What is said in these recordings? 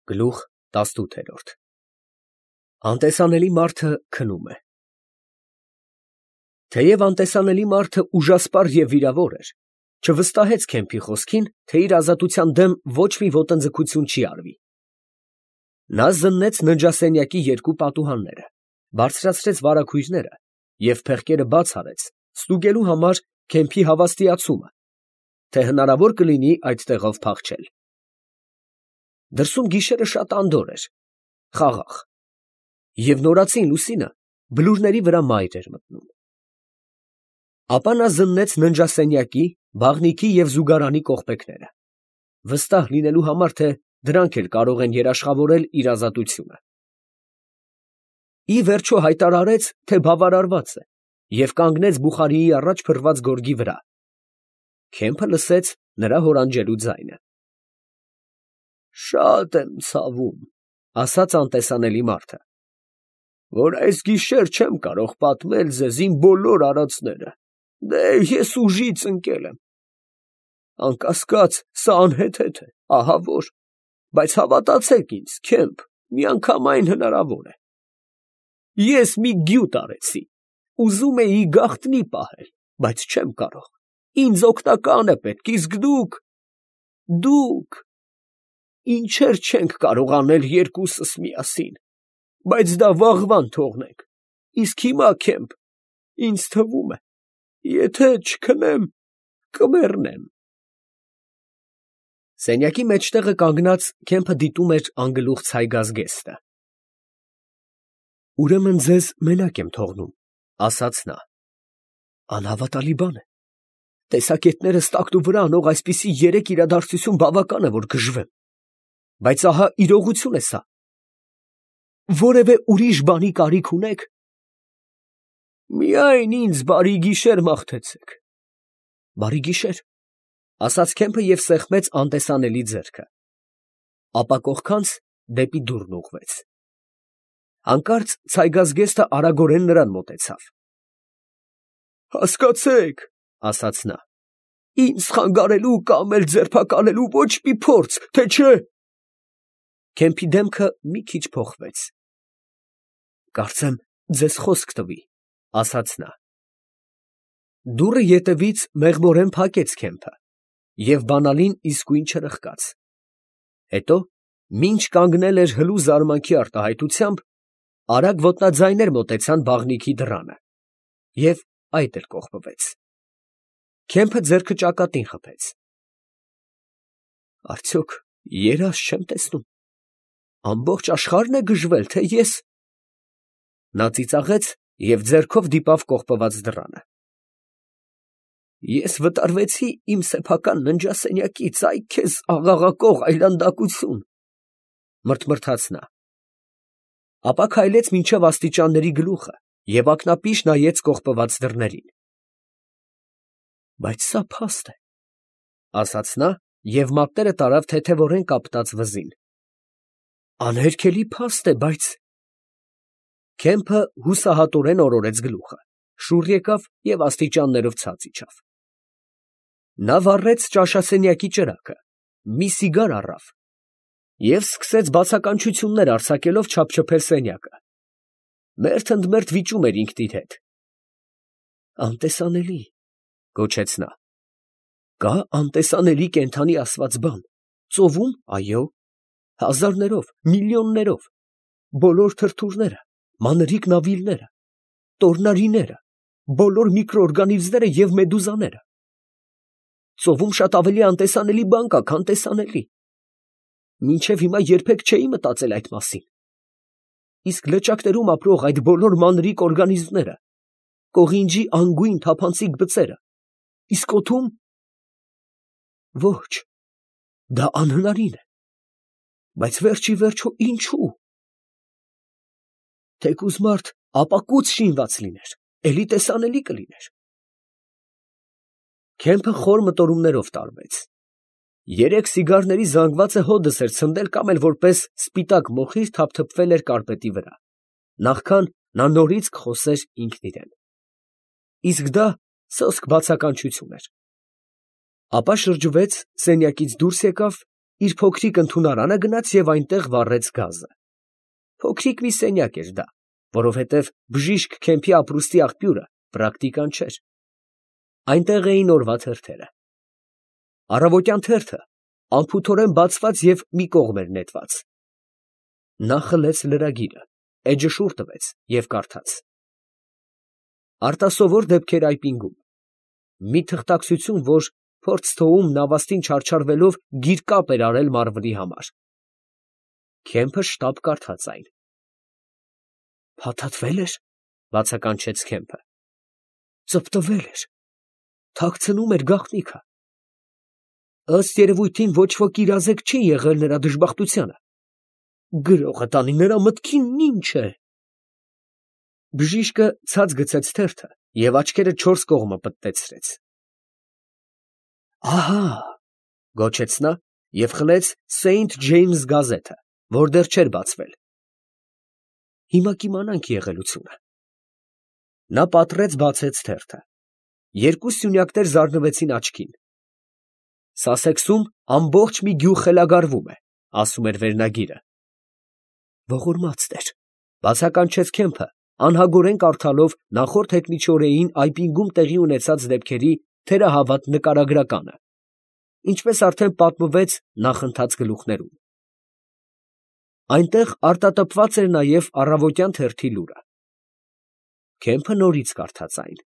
Գլուխ 18 Անտեսանելի մարդը քնում է։ Թեև անտեսանելի մարդը ուժասպառ և վիրավոր էր, չվստահեց Քեմփի խոսքին, թե իր ազատության դեմ ոչ մի ոտնձգություն չի արվի։ Նա զննեց ննջասենյակի երկու պատուհանները, բարձրացրեց վարագույրները և փեղկերը բաց արեց, ստուգելու համար Քեմփի հավաստիացումը, թե հնարավոր կլինի այդտեղով փախչել։ Դրսում գիշերը շատ անդորր էր, խաղաղ, և նորածին լուսինը բլուրների վրա մայր էր մտնում։ Ապա նա զննեց ննջասենյակի, բաղնիքի և զուգարանի կողպեքները, վստահ լինելու համար, թե դրանք էլ կարող են երաշխավորել իր ազատությունը։ Ի վերջո հայտարարեց, թե բավարարված է, և կանգնեց բուխարիի առաջ փռված գորգի վրա։ Քեմփը լսեց նրա հորանջելու ձայնը։ «Շատ եմ ցավում, ֊ ասաց անտեսանելի մարդը, ֊ որ այս գիշեր չեմ կարող պատմել ձեզ իմ բոլոր արածները. դե ես ուժից ընկել եմ։ Անկասկած, սա անհեթեթ է, ահա որ, բայց հավատացեք ինձ, Քեմփ, միանգամայն հնարավոր է։ Ես մի գյուտ արեցի, ուզում էի գաղտնի պահել, բայց չեմ կարող, ինձ օգնական է պետք, իսկ դուք… Ինչեր չենք կարող անել երկուսս միասին, բայց դա վաղվան թողնենք, իսկ հիմա, Քեմփ, ինձ թվում է, եթե չքնեմ, կմեռնեմ»։ Սենյակի մեջտեղը կանգնած Քեմփը դիտում էր անգլուխ ցայգազգեստը։ «Ուրեմն ձեզ մենակ եմ թողնում, ֊ ասաց նա, ֊ անհավատալի բան է, տեսակետներս տակնուվրա անող այսպիսի երեք իրադարձություն բավական է, որ գժվեմ, բայց ահա իրողություն է սա։ Որևէ ուրիշ բանի կարիք ունե՞ք։ Միայն ինձ բարի գիշեր մաղթեցեք։ Բարի գիշեր, ֊ ասաց Քեմփը և սեղմեց անտեսանելի ձեռքը, ապա կողքանց դեպի դուռն ուղղվեց։ Հանկարծ ցայգազգեստը արագորեն նրան մոտեցավ։ «Հասկացեք, ֊ ասաց նա, ֊ ինձ խանգարելու կամ էլ ձերբակալելու ոչ մի փորձ, թե չէ…»։ Քեմփի դեմքը մի քիչ փոխվեց։ «Կարծեմ, ձեզ խոսք տվի, ֊ ասաց նա։ Դուռը ետևից մեղմորեն փակեց Քեմփը, և բանալին իսկույն չրխկաց։ Հետո, մինչ կանգնել էր հլու զարմանքի արտահայտությամբ, արագ ոտնաձայներ մոտեցան բաղնիքի դռանը, և այդ էլ կողպվեց։ Քեմփը ձեռքը ճակատին խփեց։ Արդյոք երազ չեմ տեսնում, ամբողջ աշխարհն է գժվել, թե ես… Նա ծիծաղեց և ձեռքով դիպավ կողպված դռանը։ «Ես վտարվեցի իմ սեփական ննջասենյակից, ա՛յ քեզ աղաղակող այլանդակություն, ֊ մրթմրթաց նա, ապա քայլեց մինչև աստիճանների գլուխը և ակնապիշ նայեց կողպված դռներին։ Բայց սա փաստ է, ֊ ասաց նա և մատները տարավ թեթևորեն կապտած վզին։ Անհերքելի փաստ է, բայց… Քեմփը հուսահատորեն օրորեց գլուխը, շուռ եկավ և աստիճաններով ցած իջավ։ Նա վառեց ճաշասենյակի ճրագը, մի սիգար առավ և սկսեց բացականչություններ արձակելով չափչփել սենյակը։ Մերթ ընդ մերթ վիճում էր ինքն իր հետ։ «Անտեսանելի, ֊ գոչեց նա, ֊ կա անտեսանելի կենդանի ասված բան, ծովում, այո, հազարներով, միլիոններով, բոլոր թրթուրները, մանրիկ նավիլները, տորնարիները, բոլոր միկրոօրգանիզմները և մեդուզաները… Ծովում շատ ավելի անտեսանելի բան կա, քան տեսանելի… Մինչև հիմա երբեք չէի մտածել այդ մասին… Իսկ լճակներում ապրող այդ բոլոր մանրիկ օրգանիզմները, կողինջի անգույն թափանցիկ բծերը… Իսկ օդում… Ոչ, դա անհնարին է… Բայց վերջ ի վերջո ինչո՞ւ… Թեկուզ մարդ ապակուց շինված լիներ, էլի տեսանելի կլիներ… Քեմփը խոր մտորումներով տարվեց։ Երեք սիգարների զանգվածը հոդս էր ցնդել կամ էլ որպես սպիտակ մոխիր թափթփվել էր կարկպետի վրա, նախքան նա նորից կխոսեր ինքն իրան… Իսկ դա սոսկ բացականչություն էր… Ապա շրջվեց, սենյակից դուրս եկավ իր փոքրիկ ընդունարանը գնաց և այնտեղ վառեց գազը։ Փոքրիկ մի սենյակ էր դա, որովհետև բժիշկ Քեմփի ապրուստի աղբյուրը պրակտիկան չէր։ Այնտեղ էին օրվա թերթերը։ Առավոտյան թերթը անփութորեն բացված և մի կողմ էր նետված։ Նա խլեց լրագիրը, էջը շուռ տվեց և կարդաց. Արտասովոր դեպքեր այպինգում։ Մի թղթակցություն, որ փորձ թողում նավաստին չարչարվելով գիրկապ էր արել մարվնի համար։ Քեմփը շտապ կարդաց այն։ Փաթաթվե՞լ էր, բացականչեց Քեմփը։ Ծպտվել էր, թաքցնում էր գաղտնիքը։ Ըստ երևույթին ոչ ոք իրազեկ չի եղել նրա դժբախտությանը։ Գրողը տանի նրա մտքին ինչ է։ Բժիշկը ցած գցեց թերթը և աչքերը չորս կողմը պտտեցրեց։ Ահա, գոչեց նա և խլեց Սեյնթ Ջեյմս գազետը, որ դեռ չէր բացվել։ Հիմա կիմանանք եղելությունը։ Նա պատռեց բացեց թերթը։ Երկու սյունյակներ զարնվեցին աչքին։ Սասեքսում ամբողջ մի գյուղ խելագարվում է, ասում էր վերնագիրը։ Ողորմած Տեր, բացականչեց Քեմփը, անհագորեն կարդալով նախորդ հետմիջօրեին այպինգում տեղի ունեցած դեպքերի թերահավատ նկարագրականը, ինչպես արդեն պատմվեց նախընթաց գլուխներում։ Այնտեղ արտատպված էր նաև առավոտյան թերթի լուրը։ Քեմփը նորից կարդաց այն։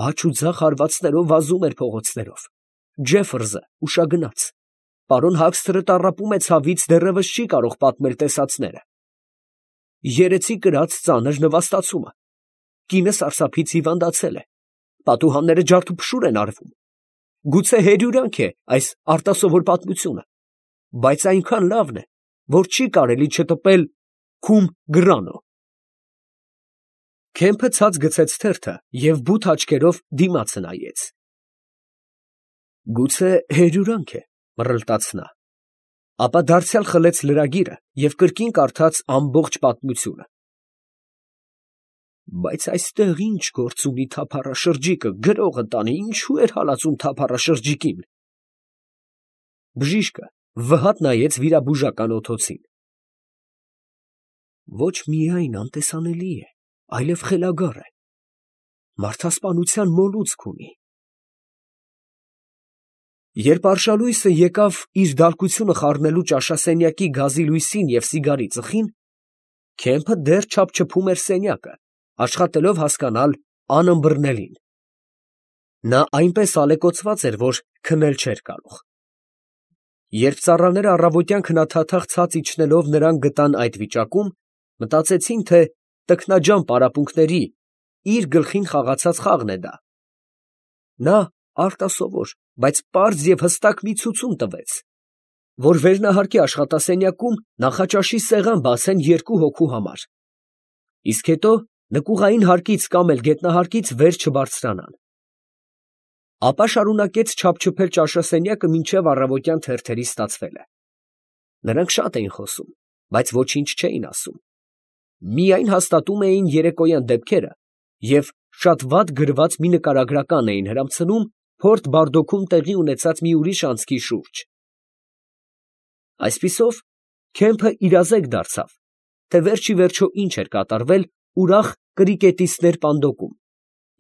Աջ ու ձախ հարվածներով վազում էր փողոցներով։ Ջեֆերսը ուշագնաց։ Պարոն Հաքսթերը տառապում է ցավից, դեռևս չի կարող պատմել տեսածները։ Երեցի կրած ծանր նվաստացումը։ Կինը սարսափից հիվանդացել է։ Պատուհանները ջարդուփշուր են արվում։ Գուցե հերյուրանք է այս արտասովոր պատմությունը, բայց այնքան լավն է, որ չի կարելի չտպել Քում Գրանո։ Քեմփը ցած գցեց թերթը և բութ աչքերով դիմացը նայեց։ Գուցե հերյուրանք է, մռլտաց նա, ապա դարձյալ խլեց լրագիրը և կրկին կարդաց ամբողջ պատմությունը։ Բայց այստեղ ինչ գործ ունի թափառաշրջիկը, գրողը տանի, ինչու էր հալածում թափառաշրջիկին։ Բժիշկը վհատ նայեց վիրաբուժական օդոցին։ Ոչ միայն անտեսանելի է, այլև խելագար է, մարդասպանության մոլուցք ունի։ Երբ արշալույսը եկավ իր դալկությունը խառնելու ճաշասենյակի գազի լույսին և սիգարի ծխին, Քեմփը դեռ չափչփում էր սենյակը, աշխատելով հասկանալ անըմբռնելին։ Նա այնպես ալեկոծված էր, որ քնել չէր կարող։ Երբ ծառաները առավոտյան քնաթաթախ ցած իջնելով նրան գտան այդ վիճակում, մտածեցին, թե տքնաջան պարապմունքների իր գլխին խաղացած խաղն է դա։ Նա արտասովոր, բայց պարզ և հստակ մի ցուցում տվեց, որ վերնահարկի աշխատասենյակում նախաճաշի սեղան բացեն երկու հոգու համար, իսկ հետո նկուղային հարկից կամ էլ գետնահարկից վեր չբարձրանան։ Ապա շարունակեց չափչփել ճաշասենյակը մինչև առավոտյան թերթերի ստացվելը։ Նրանք շատ էին խոսում, բայց ոչինչ չէին ասում։ Միայն հաստատում էին երեկոյան դեպքերը և շատ վատ գրված մի նկարագրական էին հրամցնում Փորտ Բարդոքում տեղի ունեցած մի ուրիշ անցքի շուրջ։ Այսպիսով, Քեմփը իրազեկ դարձավ, թե վերջիվերջո ինչ էր կատարվել ուրախ կրիկետիստներ պանդոկում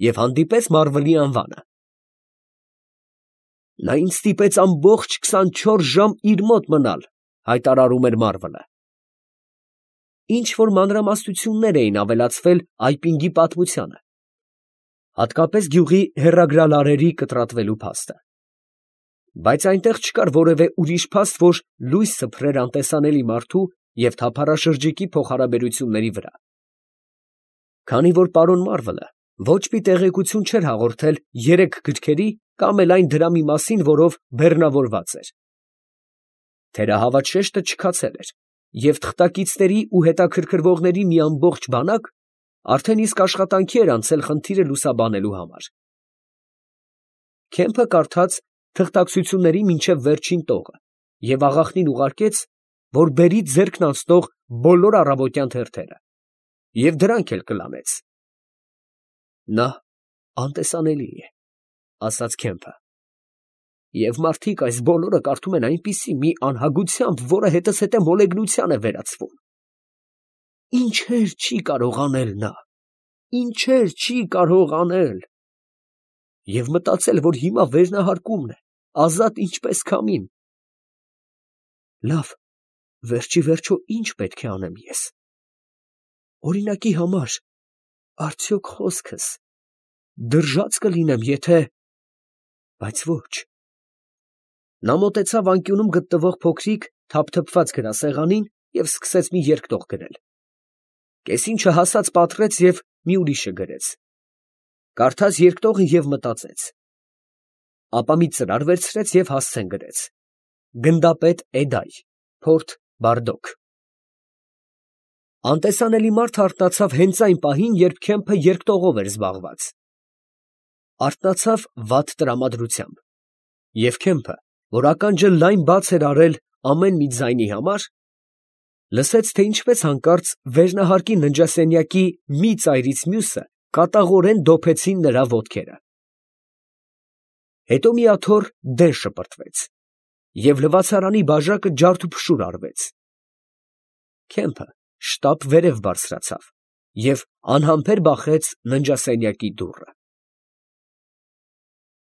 և հանդիպեց Մարվելի անվանը։ Նա ինձ ստիպեց ամբողջ 24 ժամ իր մոտ մնալ, հայտարարում էր Մարվելը։ Ինչ֊որ մանրամասնություններ էին ավելացվել այպինգի պատմությանը, հատկապես գյուղի հեռագրալարերի կտրատվելու փաստը։ Բայց այնտեղ չկար որևէ ուրիշ փաստ, որ լույս սփռեր անտեսանելի մարդու և թափառաշրջիկի փոխհարաբերությունների վրա։ Քանի որ պարոն Մարվելը ոչ մի տեղեկություն չէր հաղորդել երեք գրքերի կամ էլ այն դրամի մասին, որով բեռնավորված էր։ Թերահավատ շեշտը չքացել էր, և թղթակիցների ու հետաքրքրվողների մի ամբողջ բանակ արդեն իսկ աշխատանքի էր անցել խնդիրը լուսաբանելու համար։ Քեմփը կարդաց թղթակցությունների մինչև վերջին տողը և աղախնին ուղարկեց, որ բերի ձեռքն անցնող բոլոր առավոտյան թերթերը, և դրանք էլ կլանեց։ Նա անտեսանելի է, ասաց Քեմփը։ Եվ մարդիկ այս բոլորը կարդում են այնպիսի մի անհագությամբ, որը հետզհետե մոլեգնության է վերածվում։ Ինչեր չի կարող անել նա, ինչեր չի կարող անել։ Եվ մտածել, որ հիմա վերնահարկումն է, ազատ ինչպես քամին։ Լավ, վերջի վերջո ինչ պետք է անեմ ես։ Օրինակի համար, արդյոք խոսքս դրժած կլինեմ, եթե… Բայց ոչ։ Նա մոտեցավ անկյունում գտնվող փոքրիկ թափթփված գրասեղանին և սկսեց մի երկտող գրել։ Կեսին չհասած պատռեց և մի ուրիշը գրեց։ Կարդաց երկտողը և մտածեց։ Ապա մի ծրար վերցրեց և հասցեն գրեց. Գնդապետ Էդայ, փորդ Բարդոկ։ Անտեսանելի մարդ արթնացավ հենց այն պահին, երբ Քեմփը երկտողով էր զբաղված։ Արթնացավ վատ տրամադրությամբ, և Քեմփը, որ ականջը լայն բաց էր արել ամեն մի ձայնի համար, լսեց, թե ինչպես հանկարծ վերնահարկի ննջասենյակի մի ծայրից մյուսը կատաղորեն դոփեցին նրա ոտքերը։ Հետո մի աթոռ դեն շպրտվեց, և լվացարանի բաժակը ջարդուփշուր արվեց։ Քեմփը շտապ վերև բարձրացավ և անհամբեր բախեց ննջասենյակի դուռը։